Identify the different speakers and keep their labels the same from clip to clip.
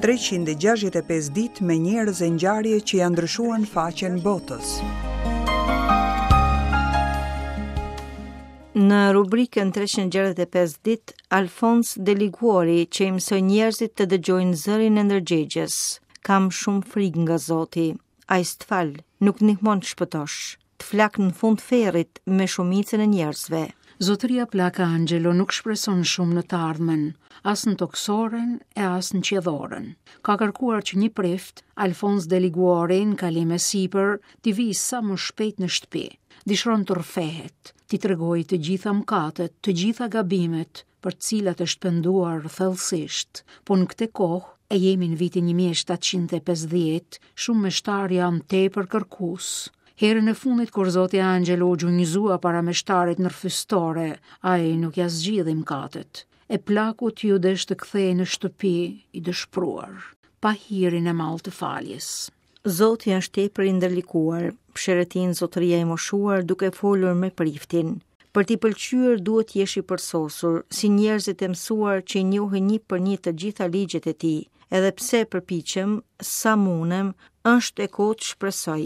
Speaker 1: 365 ditë me njerëz e ngjarje që ia ndryshuan faqen botës.
Speaker 2: Në rubrikën 365 ditë, Alfons de Liguori që i mësoi njerëzit të dëgjojnë zërin e ndërgjegjes. Kam shumë frikë nga Zoti. Ai s'të fal, nuk ndihmon të shpëtosh. Të flak në fund ferrit me shumicën e njerëzve.
Speaker 3: Zotëria plak Angelo nuk shpreson shumë në të ardhmen, as në tokësoren e as në qielloren. Ka kërkuar që një prift, Alfons de Liguori, në kalim e sipër, t'i vijë sa më shpejt në shtëpi. Dëshiron të rrëfehet, t'i tregojë të gjitha mëkatet, të gjitha gabimet, për të cilat është penduar thellësisht. Po në këtë kohë, e jemi në vitin 1750, shumë meshtarë janë tepër kërkues. Herën e fundit kur zoti Angelo u gjunjëzua para meshtarit në rrëfystore, ai nuk ia zgjidhi mëkatet. E plakut iu desh të kthehej në shtëpi i dëshpëruar, pa hirin e madh të
Speaker 2: faljes. Zoti është tepër i ndërlikuar, psherëtin zotëria i moshuar duke folur me priftin. Për t'i pëlqyer duhet të jesh i përsosur, si njerëzit e mësuar që i njohin një për një të gjitha ligjet e tij. Edhe pse përpiqem, sa mundem, është e kotë shpresoj.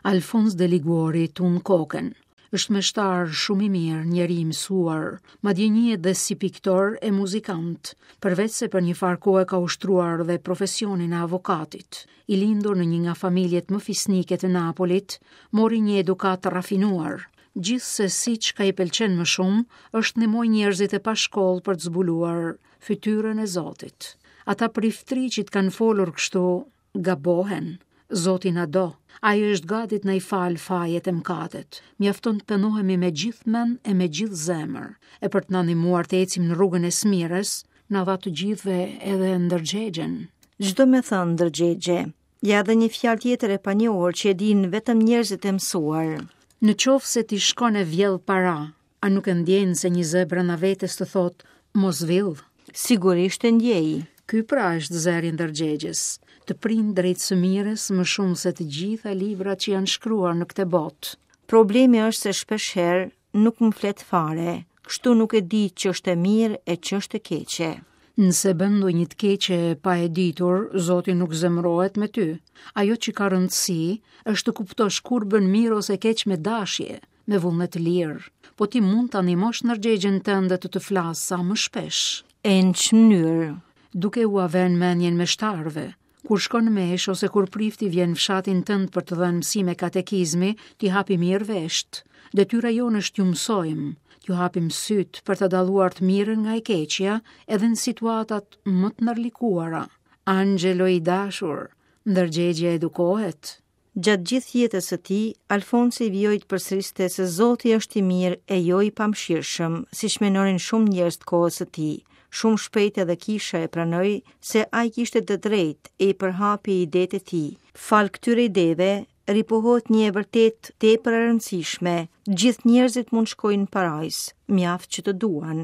Speaker 3: Alfons de Liguori tund kokën. Është meshtar shumë i mirë, njeri i mësuar, madje njihet dhe si piktor e muzikant, përveçse për një farë kohe ka ushtruar dhe profesionin e avokatit. I lindur në një nga familjet më fisnike të Napolit, mori një edukatë të rafinuar. Gjithsesi çka i pëlqen më shumë, është të ndihmojë njerëzit e pashkollë për të zbuluar fytyrën e Zotit. Ata priftërinj që të kanë folur kështu, gabohen. Zoti na do. Ai është gati të na i falë fajet e mëkatet. Mjafton të pendohemi me gjithë mend e me gjithë zemër. E për të na ndihmuar të ecim në rrugën e së mirës, na dha të gjithëve edhe ndërgjegjen.
Speaker 2: Ç'do me thënë ndërgjegje? Ja edhe një fjalë tjetër e panjohur që e dinë vetëm njerëzit e mësuar.
Speaker 3: Në qoftë se ti shkon e vjedh para, A nuk e ndjen se një zë brenda vetes të thotë mos
Speaker 2: vill? Sigurisht e ndjej.
Speaker 3: Ky pra është zëri i ndërgjegjes, të prin drejt së mirës më shumë se të gjitha librat që janë shkruar në këtë botë.
Speaker 2: Problemi është se shpeshherë nuk më flet fare, kështu nuk e di ç'është e mirë e ç'është e
Speaker 3: keqe. Nëse bën ndonjë të keqe pa e ditur, Zoti nuk zemërohet me ty. Ajo që ka rëndësi është të kuptosh kur bën mirë ose keq me dashje, me vullnet të lirë, po ti mund ta ndihmosh ndërgjegjen tënde të të flasë sa më shpesh.
Speaker 2: E në ç'mënyrë?
Speaker 3: Duke ua vënë mendjen meshtarëve. Kur shkon në meshë ose kur prifti vjen në fshatin tënd për të dhënë mësime katekizmi, t'i hapi mirë veshët. Detyra jonë është t'ju mësojmë, t'ju hapim sytë për të dalluar të mirën nga e keqja edhe në situatat më të ndërlikuara. Angelo i dashur, ndërgjegja edukohet.
Speaker 2: Gjatë gjithë jetës së tij, Alfonsi vijoi të përsëriste se Zoti është i mirë e jo i pamëshirshëm, siç mendonin shumë njerëz të kohës së tij. Shumë shpejt edhe kisha e pranoi se ai kishte të drejtë e i përhapi idetë e tij. Falë këtyre ideve, ripohohet një e vërtetë tepër e rëndësishme, gjithë njerëzit mund të shkojnë në parajsë, mjaft që të duan.